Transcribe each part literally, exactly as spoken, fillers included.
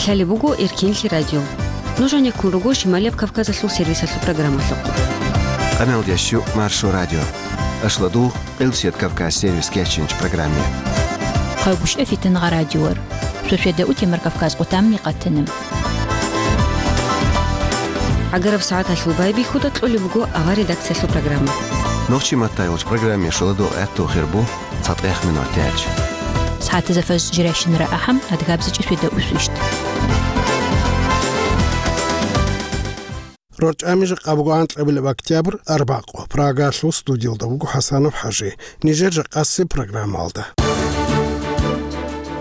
Лъалеб буго Эркенлъи радио. Нуж гьанеккун руго Шималияб Кавказалъул сервисалъул программалъухъ. Къамелдящу Маршо радио. Ашладу Къилсият Кавказ сервис кечинч программе. Хъагуш эфитан гъа радиор. Сосведа утемар Кавказ къутамни къатана. Агараб сагӀаталъул байбихьуда кьолеб буго авар редакциялъул программа. Нохчи маттайолч программе шуладу гӀатту хирбу цатӀех минутелч. СагӀатазафаз жиращинара ахӀам адгабзичӀи светда усвищт. РорчӀами жакъа буго анкьабилеб октябрь, арбакъо. Прагалъул студиялда буго ХӀасанов ХӀажи. Нижер жакъасеб программалда.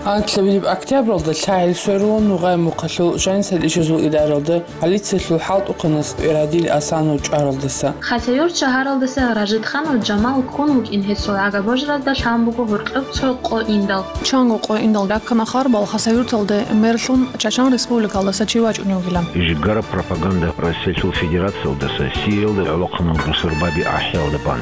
Анкьабилеб октябралда лъагӀел сверулун нугъай мухъалъул жанисал ишазул идаралда полициялъул хӀалтӀухъанас Ирадил Асанов чӀваралдаса. Хасавюрт шагьаралдаса Ражидханов Жамал ккун вукӀин гьесул гӀага-божаразда лъан буго гьоркьоб цо къо индал. Чанго къо индал раккана харбал Хасавюрталде мерлъун Чачан республикалдаса чи вачӀунев вугилан. Жигара пропаганда Россиялъул Федерациялдаса Сириялда гӀолохъанал росарбаби ахӀиялда бан.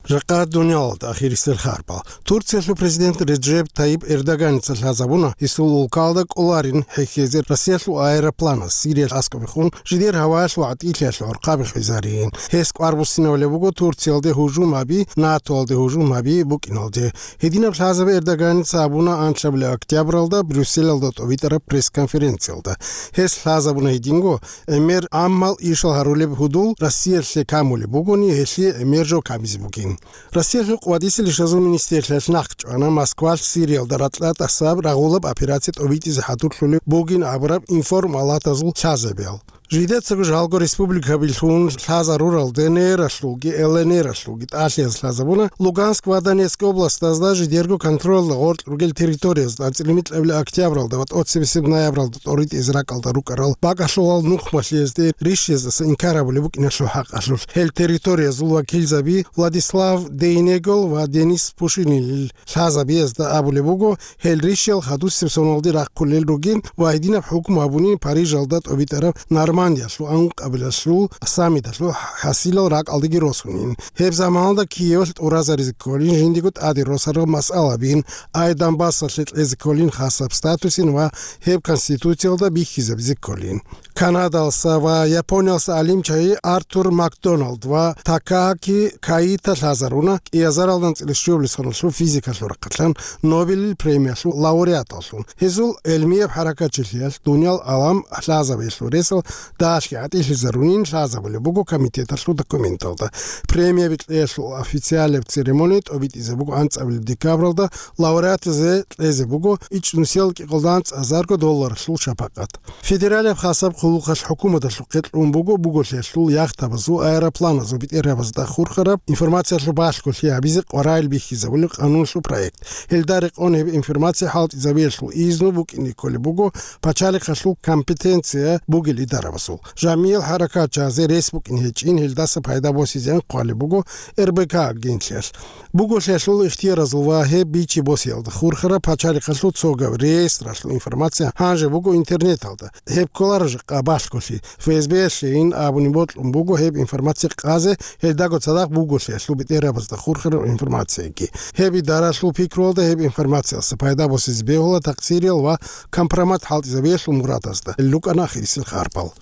Жакъа дуниялалда ахирисел харбал. Турциялъул президент Реджеп Тайип Эрдоганица лъазабуна, гьесул улкалда кӀоларин хӀехьезе Россиялъул аэропланас Сириялъ аскӀобехун жидер гьаваялъул гӀатӀилъиялъул гӀорхъаби хвезарин. Гьес кӀвар буссинавулеб буго Турциялде гьужум гьаби, НАТОялде гьужум гьаби букӀиналде. Гьединаб лъазаби Эрдоганица абуна анлъабилеб октябралда Брюсселалда тӀобитӀараб пресс-конференциялда. Гьес лъазабуна гьединго, гӀемер гӀаммал ишал гьарулеб гьудул Россиялъе камулеб бугони, гьелъие гӀемер жо камизе бугин. Россиялъул къватӀисел ишазул министрлъиялъ нахъ чӀвана Москвалъ Сириялда ракьа тӀасаб рагъулаб операция тӀобитӀизе хӀадурлъулеб бугин абураб информалатазул лъазабиял. Жидецаго жалго республикабилъун лъазарурал ДНРалъулги ЛНРалъулги тӀалъияз лъазабуна Луганск ва Донецк областазда жидерго контролда гъоркь ругел территориязда анцӀила микьабилеб октябралда ва тӀоцебесеб ноябралда тӀоритӀизе ракӀалда рукӀарал бакӀалъулал нухмалъиязде рищездаса инкар гьабулеб букӀиналъул хӀакъалъулъ. Гьел территориязул вакилзаби Владислав Дейнегол ва Денис Пушинил лъазабиязда абулеб буго, гьел рищал хадусеб соналде рахъулел ругин ва гьединаб хӀукму гьабунин Парижалда тӀобитӀараб Нормандиялъул анкьабилалъул саммиталъул хӀасилал ракӀалдеги росунин. Гьеб заманалда Киевалъ тӀуразаризе кколин жиндиего тӀаде росарал масъалабин, ай Донбассалъе кьезе кколин хасаб статусин ва гьеб Конституциялда бихьизабизе кколин. Канадалса ва Япониялса гӀалимчагьи Артур Макдоналд ва Такааки Каита лъазаруна кӀиазаралда анцӀила щуабилеб соналъул физикалъул рахъалъан Нобелил премиялъул лауреаталлъун. Гьезул гӀелмияб хӀаракатчилъиялъ дуниял гӀалам лъазабиялъул ресал дагьалъги гӀатӀилъизарунин лъазабулеб буго комитеталъул документалда. Премияби кьеялъул официалияб церемония тӀобитӀизе буго анцӀабилеб декабралда, лауреатазе кьезе буго ичӀнусиял кӀикъоялда анцӀазарго долларалъул шапакъат. Федералияб хасаб хъулухъалъ хӀукуматалъухъе кьун буго буголъиялъул яхтабазул, аэропланазул бетӀергьабазда хурхараб информациялъул балъголъи гьабизе къваригӀел бихьизабулеб къануналъул проект. Гьелда рекъон гьеб информация хӀалтӀизабиялъул изну букӀине кколеб буго пачалихъалъул компетенция бугел идарабазул. Жамиял хӀаракатчагьазе рес букӀин гьечӀин, гьелдаса пайда босизеян хъвалеб буго РБК агентлъиялъ. Буголъиялъул ихтияразул ва гьеб бичи-босиялда хурхараб пачалихъалъул цогаб реестралъул информация гьанже буго интернеталда. Гьеб кколаро жакъа балъголъи. ФСБ-ялъейин абуни бокьун буго гьеб информация къазе, гьелдаго цадахъ буголъиялъул бетӀергьабазда хурхараб информацияги. Гьеб идаралъул пикруялда гьеб информациялъа пайда босизе бегьула такъсириял ва компромат хӀалтӀизабиялъул мурадазда. ЛукӀана ахирисел харбал.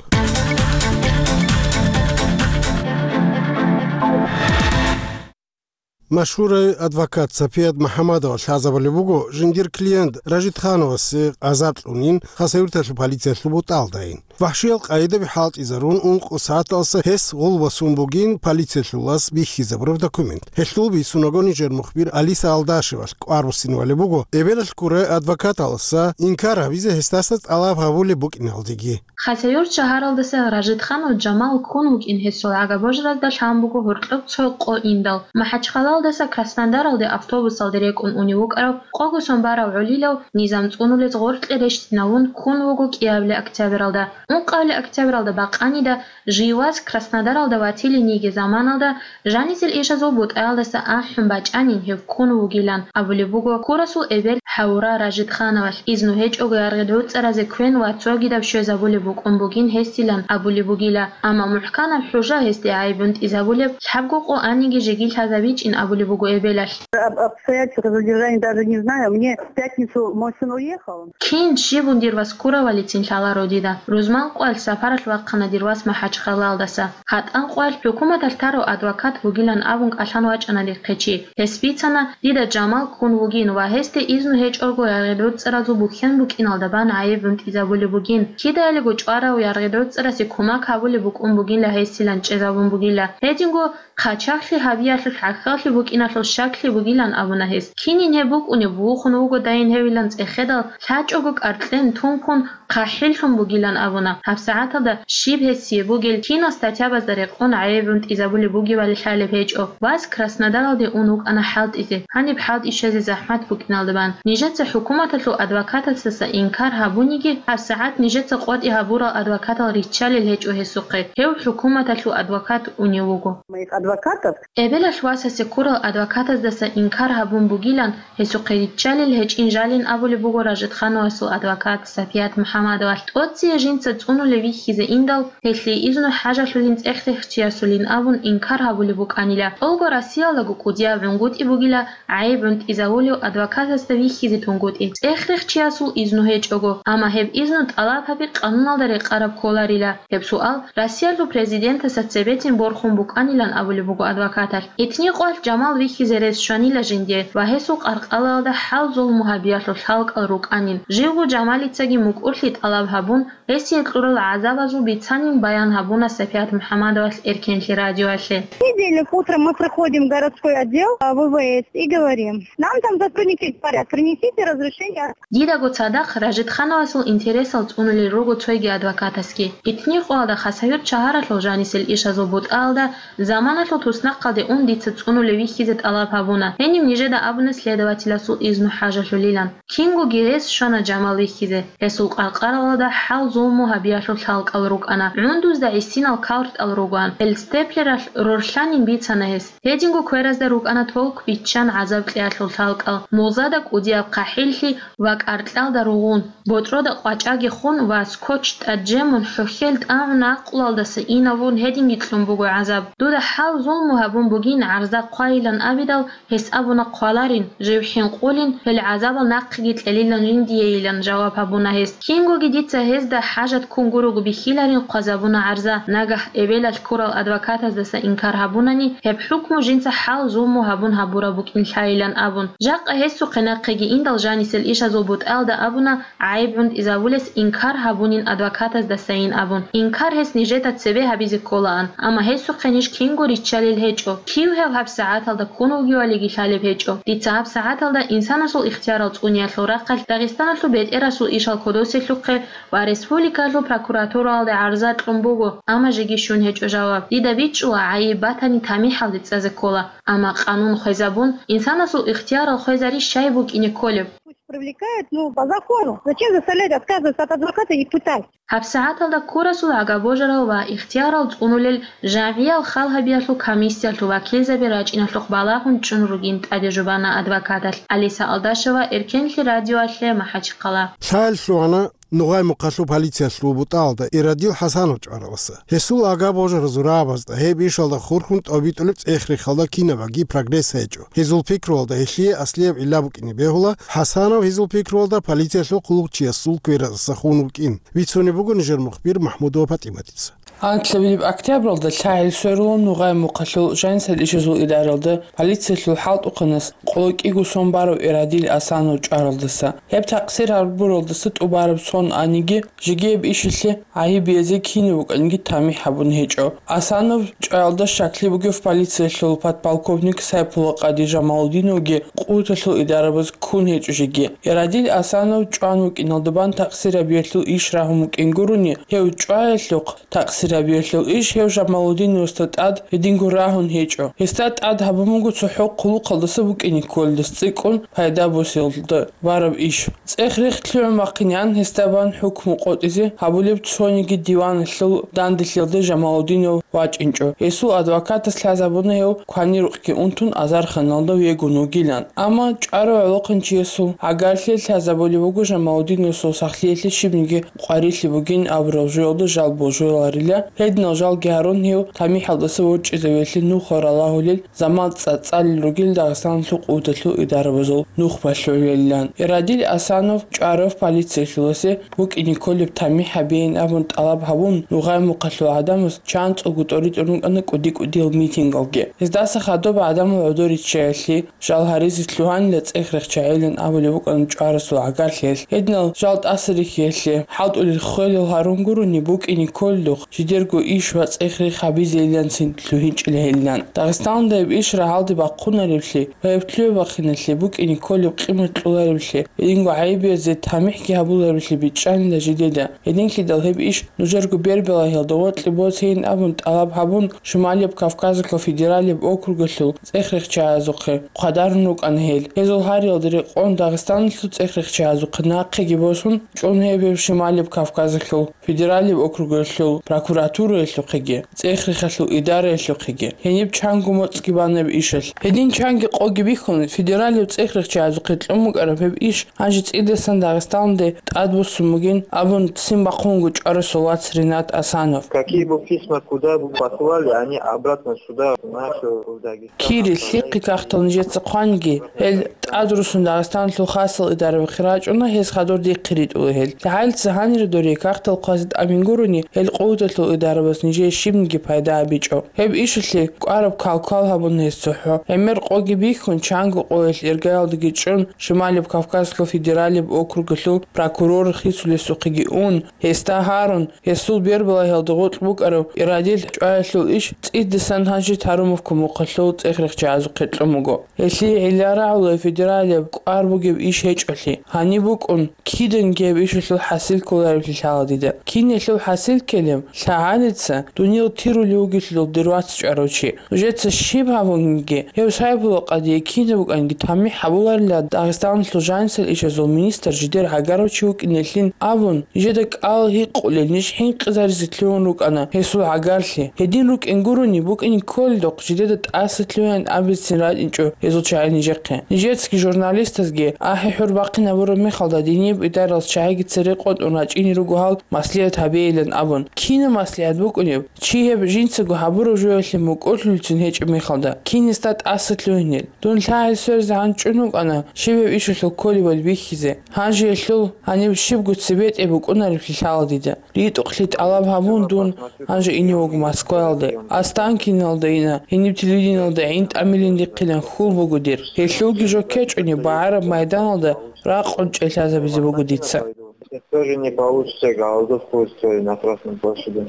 Машгьурай адвокат Сапият МухӀамадова лъазабулеб буго, жиндир клиент Ражидхановасе азар кьунин, Хасавюрталъул полициялъул бутӀалдайин. ВахӀшиял къайдаби хӀалтӀизарун, ункъо сагӀаталса гьес гъулбасун бугин полициялъулас бихьизабураб документ. Гьелъул бицунаго нижер мухбир Алиса Алдашевалъ кӀвар буссинабулеб буго, эбелалъ ккурай адвокаталаса инкар гьабизе гьесдаса тӀалаб гьабулеб букӀиналдеги. Хасавюрт шагьаралдаса Ражидханов Жамал ккун вукӀин гьесул гӀага-божаразда лъан буго гьоркьоб цо къо индал. МахӀачхъалаялдаса Краснодаралде автобусалде рекӀун унев вукӀарав къого сон барав гӀолилав низам цӀунулез гъоркье рещтӀинавун ккун вуго кӀиабилеб октябралда. Ункъабилеб октябралда бакъанида, жив вас Краснодаралда ватилин йиги заманалда, жанисел ишазул бутӀаялдаса ахӀун бачӀанин гьев ккун вугилан абулеб буго Курасул эбел Хавура Ражидхановалъ, изну гьечӀого яргъи гӀуцӀаразе квен ва цогидаб щвезабулеб букӀун бугин гьесилан абулеб бугила, амма мухӀканаб хӀужа гьесде гӀайиб гӀунтӀизабулеб лъабго къо аниги жеги лъазабичӀин абулеб буго эбелалъ. Об обстоятельствах задержания даже не знаю. Мне в пятницу мой сын уехал. Кин, щибун дир вас ккуравалицин лъаларо дида. Рузман къвалъ сапаралъ вахъана дир вас МахӀачхъалаялдаса. ГьатӀан къвалъ хӀукуматалъ тарав адвокат вугилан абун кӀалъан вачӀана дихъе чи. Гьес бицана, дида Жамал ккун вугин ва гьесде изну гьечӀого яргъи гӀуцӀаразул бухьен букӀиналда бан гӀайиб гӀунтӀизабулеб бугин. Кидаялиго чӀварав яргъи гӀуцӀарасе кумак гьабулеб букӀун бугила гьесилан чӀезабун бугила. Гьединго хъачагълъи гьабиялъул хӀахьаллъи букӀиналъул щаклъи бугилан абуна гьес. Кинин гьеб букӀунеб, вухун вугодайин гьевилан цӀехедал, лъачӀого кӀаркьен тункун, хъахӀиллъун бугилан абуна. ГьабсагӀаталда щиб гьесие бугел, кинал статьябазда рекъон гӀайиб гӀунтӀизабулеб бугебали лъалеб гьечӀо. Вас Краснодаралде ун вукӀана хӀалтӀизе. Гьаниб хӀалтӀи щвезе захӀмат букӀиналда бан. Нижеца хӀукуматалъул адвокатасдаса инкар гьабуниги, гьабсагӀат нижеца къотӀи гьабурал адвокатал риччалел гьечӀо гьесухъе. Гьев хӀукуматалъул адвокат унев вуго. Моих адвокатов. Эбелалъ васасе ккурал адвокатаздаса инкар гьабун бугилан, гьесухъе риччалел гьечӀин жалин абулеб буго Ражидхановасул адвокат Сапият МухӀаммадовалъ. ТӀоцее жинца цӀунулев вихьизе индал, гьелъие изну хӀажалъулин цӀех-рехчиясулин абун инкар гьабулеб букӀанила. ТӀолго Россиялдаго кӀудияб гӀунгутӀи бугила гӀайиб гӀунтӀизавулев адвокатасда вихьизе тунгутӀи, цӀех-рехчиясул изну гьечӀого, амма гьеб изну тӀалаб гьаби къануналда рекъараб кколарила. Гьеб суал Россиялъул президентасда цебетин борхун букӀанилан абулеб буго адвокаталъ. Итни къвалъ Жамал вихьизе рес щванила жинде ва гьесул къаркъалалда хӀал-зулму гьабиялъул лъалкӀал рукӀанин. Живго Жамалицаги мукӀурлъи тӀалаб гьабун, гьесие кьурал гӀазабазул бицанин баян гьабуна Сапият МухӀаммадовалъ Эркенлъи радиоялъе. Понедельник утром мы приходим в городской отдел, а, В В С и говорим. Нам там сотрудники говорят: «Принесите разрешение». Дидаго цадахъ Ражидхановасул интересал цӀунулел руго цойги адвокатасги. Итни къоялда Хасавюрт шагьаралъул жанисел ишазул бутӀаялда заманалъул туснахъалде ун дица цӀунулев вихьизе тӀалаб гьабуна. Гьенив нижеда абуна следователасул изну хӀажалъулилан. Кингоги рес щвана Жамал вихьизе. Гьесул къаркъаралда хӀал-зулму гьабиялъул лъалкӀал рукӀана. ГӀундузда гӀисинал калтӀал ругоан. Гьел степлералъ рорлъанин бицана гьес. Гьединго кверазда рукӀана толк биччан гӀазаб кьеялъул лъалкӀал, музада кӀудияб хъахӀиллъи ва кӀаркьалда ругъун, ботӀрода къвачӀаги хун ва скотч тӀаде жемун, хӀухьел тӀагӀун, гӀакълуялдаса инавун гьединги кьун буго гӀазаб. Дуда хӀал-зулму гьабун бугин гӀарза хъвайилан абидал, гьес абуна хъваларин, жив хӀинкъулин, гьел гӀазабал нахъеги кьелилан жиндиейилан жаваб гьабуна гьес. Кингоги дица гьезда хӀажат ккун гурого бихьиларин хъвазабуна гӀарза, нагагь эбелалъ ккурал адвокатаздаса инкар гьабунани, гьеб хӀукму жинца хӀал-зулму гьабун гьабураб букӀин лъайилан абун. Жакъа гьесухъе нахъеги индал жанисел ишазул бутӀаялда абуна, гӀайиб гӀунтӀизавулес инкар гьабунин адвокатаздасайин абун. Инкар гьес нижеда цебе гьабизе кколаан, амма гьесухъе ниж кинго риччалел гьечӀо. Кив гьев гьабсагӀаталда ккун вугевалиги лъалеб гьечӀо. Дица гьабсагӀаталда инсанасул ихтиярал цӀуниялъул рахъалъ Дагъистаналъул бетӀерасул ишал кодосиялъухъе ва республикалъул прокуратураялде гӀарза кьун буго, амма жеги щун гьечӀо жаваб. Дида бичӀчӀула, гӀайиб батани тамихӀалде цӀазе ккола, амма къанун хвезабун, инсанасул ихтиярал хвезари щай букӀине кколеб? Пусть привлекают, ну, по закону. Зачем заставлять отказываться от адвоката и пытать? ГьабсагӀаталда ккурасул гӀага божарал ва ихтиярал цӀунулел жагӀиял хал гьабиялъул комиссиялъул вакилзаби рачӀиналъухъ балагьун чӀун ругин тӀаде жубана адвокаталъ. Алиса Алдашева, Эркенлъи радиоялъе, МахӀачхъала. Лъаялъ лъугьана Нугъай-Мухъалъул полициялъул бутӀаялда Ирадил ХӀасанов чӀваралдаса. Гьесул гӀага божаразул рагӀабазда гьеб ишалда хурхун тӀобитӀулеб цӀех-рехалда кинабаги прогресс гьечӀо. Гьезул пикруялда гьелъие аслияб гӀилла букӀине бегьула ХӀасанов гьезул пикруялда полициялъул хъулухъчиясул квераздаса хун вукӀин. Бицунеб буго нижер мухбир МахӀмудова ПатӀиматица. Анкьабилеб октябралда лъагӀел сверулун Нугъай-Мухъалъул жанисел ишазул идаралда полициялъул хӀалтӀухъанас къоло кӀиго сон барав Ирадил ХӀасанов чӀваралдаса. Гьеб такъсир гьабуралдаса тӀубараб сон аниги, жеги гьеб ишилъе гӀайиб биязе кинев вукӀаниги тамихӀ гьабун гьечӀо. ХӀасанов чӀваялда щаклъи бугев полициялъул подполковник Сайпула-къади Жамалудиновги къуваталъул идарабаз ккун гьечӀо жеги. Ирадил ХӀасанов чӀван вукӀиналда бан такъсир гьабиялъул иш рагьун вукӀин гурони, гьев чӀваялъухъ такъсир Забиялъул иш гьев Жамалудиновасда тӀад гьединго рагьун гьечӀо. Гьесда тӀад гьабун буго цохӀо хъулухъалдаса букӀине кколелдаса цӀикӀкӀун пайда босиялда бараб иш. ЦӀех-рех лъугӀун бахъинегӀан гьесда бан хӀукму къотӀизе гьабулеб цониги диваналъул данделъиялде Жамалудинов вачӀинчӀо. Гьесул адвокатас лъазабуна гьев кванирукъги унтун азарханалда вегун вугилан. Амма чӀварав гӀолохъанчиясул гӀагарлъи лъазабулеб буго Жамалудиновасул сахлъиялъе щибниги къварилъи бугин абурал жоялда жал божуларила, гьединал жалги гьарун гьев тамихӀалдаса ворчӀизавиялъе нухал ралагьулел заман цӀа-, цӀалел ругел Дагъистаналъул къуваталъул идарабазул нухбалъулелилан. Ирадил Асанов чӀварав полициялъуласе букӀине кколеб тамихӀ гьабейин абун тӀалаб гьабун, Нугъай Мухъалъул гӀадамаз чанцӀулго тӀоритӀун рукӀана кӀуди-кӀудиял митингалги. Гьездаса хадуб гӀадамал гӀодор риччаялъе, жал гьаризе лъугьанила цӀех-рех чагӀилан абулеб букӀана чӀварасул гӀагарлъиялъ. Гьединал жал тӀаса рихьиялъе, хӀалтӀулел хвелал гьарун гурони букӀине кколелъухъ, жидерго иш ва цӀех-рех гьабизейиланцин лъугьинчӀила гьелилан. Дагъистаналда гьеб иш рагьалде бахъунареблъи ва гьеб лъугӀи-бахъиналъе букӀине кколеб къимат кьолареблъи, гьединго гӀайибиязде тамихӀги гьабулареблъи бичӀчӀанила жидеда. Гьединлъидал гьеб иш нужерго бербалагьиялда гъоркье босейин абун тӀалаб гьабун, Шималияб Кавказалъул федералияб округалъул цӀех-рехчагӀазухъе хъвадарун рукӀана гьел. Гьезул гьариялда рекъон Дагъистаналъул цӀех-рехчагӀазухъе нахъеги босун, чӀун гьеб гьев Шималияб Кавказалъул федералияб округалъул прокуратураялъухъеги, цӀех-рехалъул идараялъухъеги. Гьениб чанго моцӀги бана гьеб ишалъ. Гьедин чанги къоги бихьун, федералияб цӀех-рехчагӀазухъе кьун букӀараб гьеб иш гьанже цӀидасан Дагъистаналде тӀадбуссун бугин абун ццин бахъун вуго чӀварасул вац Ринат Асанов. Какие бы письма куда бы послали, они обратно сюда, в нашу, в Дагестан. Кири лъихъе кагътал нижеца хъваниги, гьел тӀадруссун Дагъистаналъул хасал идарабахъе рачӀуна, гьез хадур дихъе ритӀула гьел. ЛъагӀалица гьанире доре кагътал хъвазе тӀамин гурони, гьел къуваталъул идарабаз нижее щибниги пайда гьабичӀо. Гьеб ишалъе кӀвараб кал-кал гьабуна гьес цохӀо. ГӀемер къоги бихьун, чанго къоялъ иргаялдаги чӀун, Шималияб Кавказалъул федералияб округалъул прокурор хисулесухъеги ун, гьесда гьарун, гьесул бербалагьиялда гъоркь букӀараб Ирадил чӀваялъул иш цӀидасан гьанже Тарумовка мухъалъул цӀех-рехчагӀазухъе кьун буго. Гьелъие гӀилла рагӀула федералияб кӀвар бугеб иш гьечӀолъи. Гьаниб букӀун, киданги гьеб ишалъул хӀасил кколареблъи лъала дида. Киналъул хӀасил ккелеб? ЛъагӀалица дуниял тирулев вугелъул дир вац чӀварав чи. Нужеца щиб гьабунги, гьев Сайбула къадие кинаб букӀанги тамихӀ гьабуларила Дагъистаналъул жанисел ишазул министр жидер гӀагарав чи вукӀиналъин абун, нижеда кӀал гьикъулел ниж хӀинкъизаризе лъугьун рукӀана гьесул гӀагарлъи. Гьедин рукӀин гурони, букӀине кколелдухъ жидеда тӀаса лъугьаян абицин ратӀинчӀо гьезул чагӀи нижехъе. Нижецаги журналистазги ахӀи-хӀур бахъинабураб мехалда динияб идаралъ чагӀиги цере къотӀун рачӀине руго гьал маслигӀат гьабейилан абун. Кинаб маслигӀат букӀунеб? Чи гьеб жинцаго гьабураб жоялъе мукӀурлъулцин гьечӀеб мехалда, кинисда тӀаса лъугьинел? Дун лъагӀел сверизегӀан чӀун вукӀана щиб гьеб ишалъул кколебали бихьизе. Гьанже гьелъул гьаниб щибго цебетӀе букӀунареблъи лъала дида. РитӀухълъи тӀалаб гьабун дун гьанже ине вуго Москваялде. Останкиналда ина, гьениб телевидениялда гӀин тӀамилин дихъилан хьул буго дир. Гьелъулги жо ккечӀони, багӀараб майданалда ракъун чӀей лъазабизе буго дица. Это тоже не получится, голодовку устроить на Красной площади.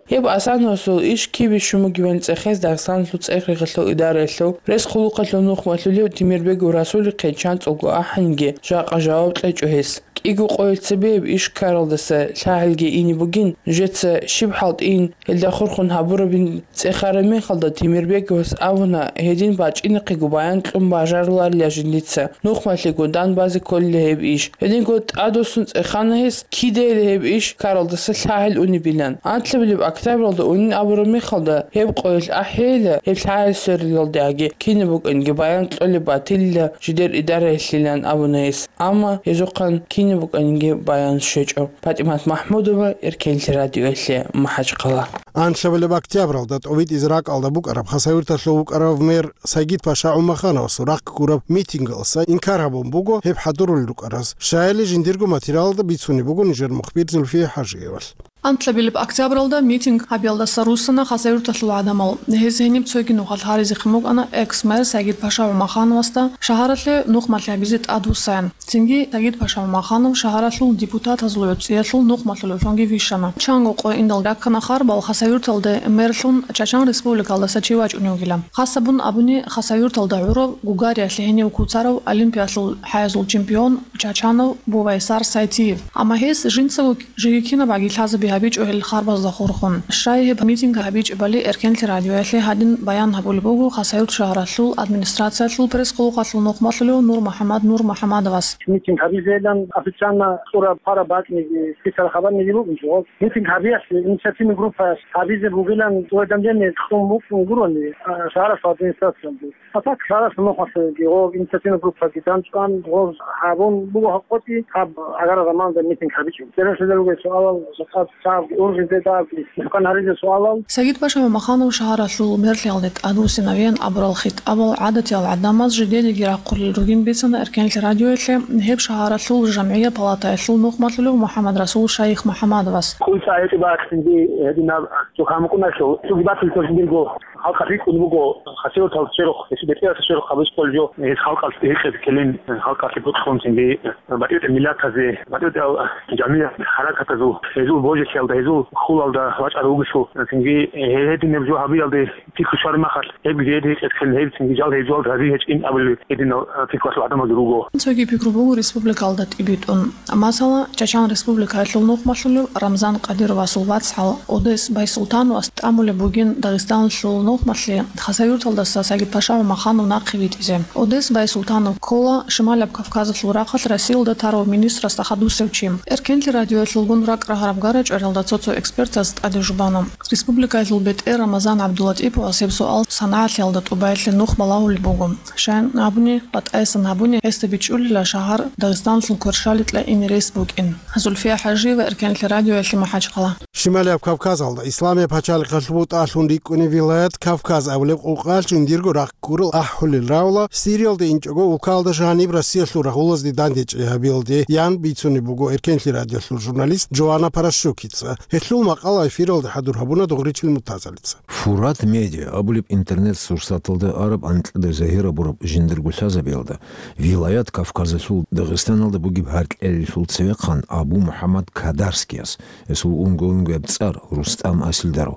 Гьеб Асановасул иш кибе щун бугебали цӀехез Дагъистаналъул цӀех-рехалъул идараялъул рес-хъулухъалъул нухмалъулев Темирбегов Расулихъе чанцӀулго ахӀанги жакъа жаваб кьечӀо гьес. КӀиго къоялъ цебе гьеб иш ккаралдаса лъагӀелги ине бугин, нужеца щиб хӀалтӀийин, гьелда хурхун гьабурабин цӀехараб мехалда Темирбеговас абуна, гьедин бачӀинахъего баян кьун бажаруларила жиндица. Нухмалъего дандбазе кколила гьеб иш. Гьединго тӀадвуссун цӀехана гьес, кидайила гьеб иш ккаралдаса лъагӀел унебилан. Анлъабилеб октябралда унин абураб мехалда, гьеб къоялъ ахӀейила, гьеб лъагӀел сверилалдеги кинаб букӀанги баян кьолеб батилила жидер идараялъилан абуна гьес. Амма гьезухъан кинаб букӀанинги баян щвечӀо. ПатӀимат МахӀмудова, Эркенлъи радиоялъе, МахӀачхъала. Анлъабилеб октябралда тӀобитӀизе ракӀалда букӀараб Хасавюрталъул вукӀарав мэр Сагид-паша ГӀумахановасул рахъ гураб митингалъуса инкар гьабун буго гьеб хӀадурулел рукӀараз. Щаяли жиндирго материалалда бицунеб буго нижер мухбир Зульфия ХӀажиевалъ. Анлъабилеб октябралда митинг гьабиялдаса руссана Хасавюрталъул гӀадамал. Гьез гьениб цоги нухалъ гьаризехъин букӀана экс-мэр Сагид-паша ГӀумахановасда шагьаралъе нухмалъи гьабизе тӀадвуссаян. Цинги Сагид-паша ГӀумаханов шагьаралъул депутатазул гӀуцӀиялъул нухмалъулевлъунги вищана. Чанго къо индал раккана харбал Хасавюрталде мэрлъун Чачан республикалдаса чи вачӀунев вугилан. Хасабун абуни, Хасавюрталда гӀурав, Гугариялъе гьенив куцарав олимпиялъул хӀаязул чемпион Чачанов Бувайсар Сайтиев. Амма гьес жинцаго жеги кинаб баги лъазабе гьабичӀо гьел харбазда хурхун. Щай гьеб митинг гьабичӀебали Эркенлъи радиоялъе гьадин баян гьабулеб буго Хасавюрт шагьаралъул администрациялъул пресс-къулухъалъул нухмалъулев Нур МухӀаммад Нур МухӀаммадовас. Митинг гьабизейилан официально цӀураб хъвараб бакӀниги, списал хабарниги букӀинчӀо. Митинг гьабиялъе инициативный группа гьабизе бугилан уведомление кьун букӀун гурони, а, шагьаралъул администрациялде. А так, шагьаралъул нухалъеги гъоб инициативный группаги данчӀван, гъоз гьабун буго гьакъоти, гьаб агара заманда митинг гьабичӀо. Церенлъидал ругел суалал, жакъа цабги, ургъизе дагьабги, мухӀкан гьаризе суалал. Сагид-паша Мамаханов шагьаралъул мерлъиялде тӀадвуссинавеян абурал хитӀабал гӀадатиял гӀадамаз жидениги рахъулел ругин бицана Эркенлъи радиоялъе гьеб шагьаралъул жамгӀияб палатаялъул нухмалъулев МухӀаммад-Расул Шайих МухӀаммадовас. Куй цӀа гьечӀеб бакӀ цинги гьединаб цо гьамукӀуналъул, цоги батил цо жиндирго халкъалъ рикӀкӀун буго, Хасавюрталда черхъ, гьесул бетӀералда черхъ гьабиз къолжо, гьес халкъалъ гьекъеб ккелин, халкъалъе бокьун цинги, батӀи-батӀи миллатазе, батӀи-батӀиял жамгӀият, хӀаракатазул, гьезул божилъиялда, гьезул хьулалда вачӀарав вугелъул, цинги гьединаб жо гьабиялде пикру щвараб мехалъ, гьеб гьед гьекъеблъун, гьеб цинги жал гьеб жугьалда гьаби гьечӀин абулел гьединал, а, пикруялъул гӀадамазги руго. Цоги пикру буго республикалда тӀибитӀун. Масала, Чачан Республикаялъул нухмалъулев Рамзан Къадировасул вацгӀал Одес Байсултановас тӀамулеб бугин Дагъистаналъул нухмалъе Хасавюрталдаса Сагид-паша Мамаханов нахъе витӀизе. Одес Байсултанов ккола Шималаб Кавказалъул рахъалъ Россиялда тарав министрасда хадусев чи. Эркенлъи радиоялъулгун ракӀ рагьараб гара чӀваралда цо-цо экспертаз тӀаде жубана. Республикаялъул бетӀер Рамазан ГӀабдулатӀиповас гьеб суал санагӀалъиялда тӀубаялъе нух балагьулеб буго. Щайин абуни, батӀайсан гьабуни, гьесда бичӀчӀулила шагьар Дагъистаналъул кверщаликьа ине рес букӀин. Зульфия ХӀажиева, Эркенлъи радиоялъе, МахӀачхъала. Шималияб Кавказалда Исламияб пачалихъалъуб бутӀалъун рикӀкӀунеб вилаят Кавказ абулеб къукъалъ жиндирго рахъ гурел ахӀулел равла, Сириялда инчӀого улкаялда жаниб Россиялъул рагъулазде дандечӀей гьабиялде, ян бицунеб буго Эркенлъи радиоялъул журналист Джоанна Паращукица. Гьелъул макъала эфиралда хӀадур гьабуна Догъричил Муртазалица. Фурат Медиа абулеб интернет-сурсаталда араб анкьида загьир гьабураб жиндирго лъазабиялда, вилаят Кавказалъул Дагъистаналда бугеб гьаркьалъулъ цевехъан Абу МухӀаммад Кадарскияс, гьесул унго-унгояб цӀар Рустам Асилдаров,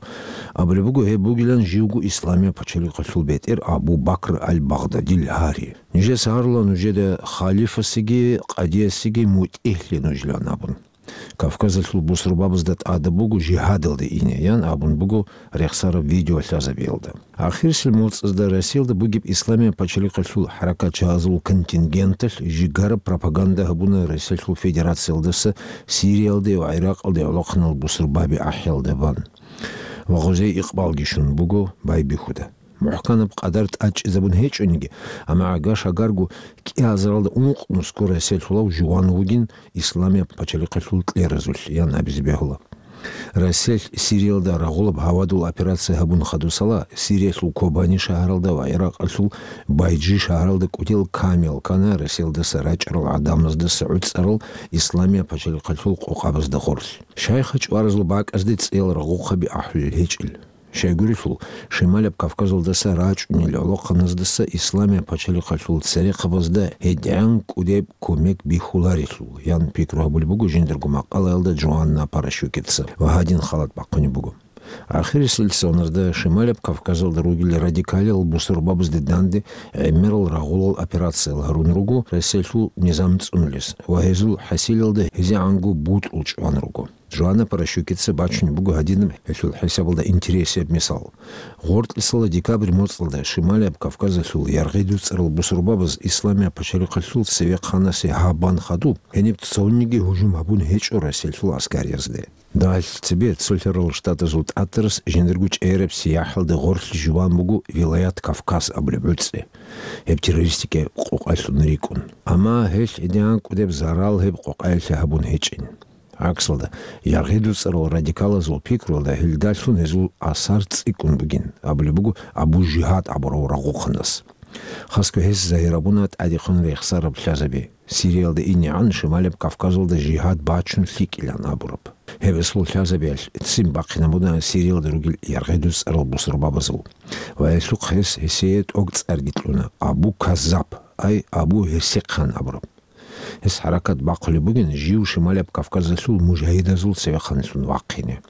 абулеб буго, гьеб бугилан живго Исламияб пачалихъалъул бетӀер Абу Бакр аль-Багъдадил гьари. Нижеца гьарула нужеда халифасеги къадиясеги мутӀигьлъе нужилан абун. Кавказалъул бусурбабазда тӀадаб буго жигьадалде ине, ян абун буго рехсараб видеолъазабиялда. Ахирисел моцӀазда Россиялда бугеб Исламияб пачалихъалъул хӀаракатчагьазул контингенталъ жигараб пропаганда гьабуна Россиялъул Федерациялдаса Сириялде ва ГӀиракъалде гӀолохъанал бусурбаби ахӀиялда бан. Ва гъозей икъбалги щун буго байбихьуда. МухӀканаб къадар тӀадчӀезабун гьечӀониги, амма гӀага-шагарго кӀиазаралда ункънусго Россиялъулав жуван вугин Исламияб пачалихъалъул кьеразулъ, ян абизе бегьула. Россиялъ Сириялда рагъулаб гьавадул операция гьабун хадусала, Сириялъул Кобани шагьаралда ва ГӀиракъалъул Байджи шагьаралда кӀудиял камел ккана Россиялдаса рачӀарал гӀадамаздаса гӀуцӀарал Исламияб пачалихъалъул къокъабазда гъорлъ. Щайха чӀваразул бакӀазде цӀиял рагъухъаби ахӀулел гьечӀел. Щайгурелъул, Шималаб Кавказалдаса рачӀунел гӀолохъаназдаса Исламияб пачалихъалъул церехъабазда гьедигӀан кӀудеб кумек бихьуларелъул, ян пикру гьабулеб буго жиндирго макъалаялда Джоанна Паращукица ва гьадин халат бахъунеб буго. Ахирисел соназда Шималаб Кавказалда ругел радикалиял бусурбабазде данде гӀемерал рагъулал операциял гьарун руго Россиялъул низам цӀунулес ва гьезул хӀасилалда гьезегӀанго бутӀрул чӀван руго. Джоанна Паращукица бачунеб буго гьадинаб гьелъул хӀисабалда интересияб мисал. Гъоркьисала декабрь моцӀалда Шималияб Кавказалъул яргъи дуцӀарал бусурбабаз Исламияб пачалихъалъул цевехъанасе гьаб бан хадуб, гьениб цониги гьужум гьабун гьечӀо Россиялъул аскариязде. Дагьалъ цебе Цолъарал Штатазул тӀатарас жиндирго чӀегӀераб сияхӀалда гъорлъ жуван буго Вилаят Кавказ абулеб гӀуцӀи, гьеб террористикаяб къокъалъун рикӀкӀун. Амма гьелъ гьедигӀан кӀудеб зарал гьеб къокъаялъе гьабун гьечӀин. ГӀаксалда, яргъи дуцӀарал радикалазул пикруялда гьелдалъун гьезул асар цӀикӀкӀун бугин, абулеб буго Абу Жигьад абурав рагъухъанас. Хасго гьес загьир гьабуна тӀадехун рехсараб лъазаби, Сириялда инегӀан Шималаб Кавказалда жигьад бачун лъикӀилан абураб. Гьебесул лъазабиялъ ццин бахъинабуна Сириялда ругел яргъи дуцӀарал бусурбабазул. Ва гьелъухъ гьес гьесие тӀоцӀарги кьуна, Абу Каззаб, ай Абу Гьерсихъан абураб. Гьес хӀаракат бахъулеб бугин жив Шималаб Кавказалъул мужагьидазул цевехъанлъун вахъине.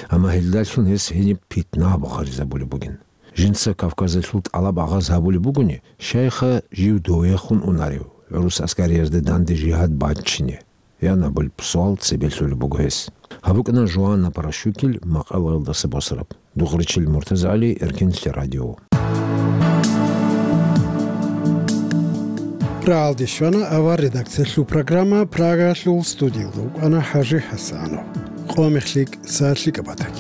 Амма гьелдалъун гьес гьениб питна гьабун гъаризабулеб бугин. Жинца Кавказалъул тӀалаб агъаз гьабулеб бугони, щайха жив довехун унарев, гӀурус аскариязда данде жигьад баччине? Ян абулеб суал цебе лъолеб буго гьес. Гьаб букӀана Жоанна Паращукил макъалаялдаса босараб. Дугъричил МуртазагӀали, Эркенлъи радио. Рагьалде щвана авар редакциялъул программа, Прагаялъул студиялда вукӀана ХӀажи ХӀасанов. Къо мехлъи кӀса лъикӀаб батани.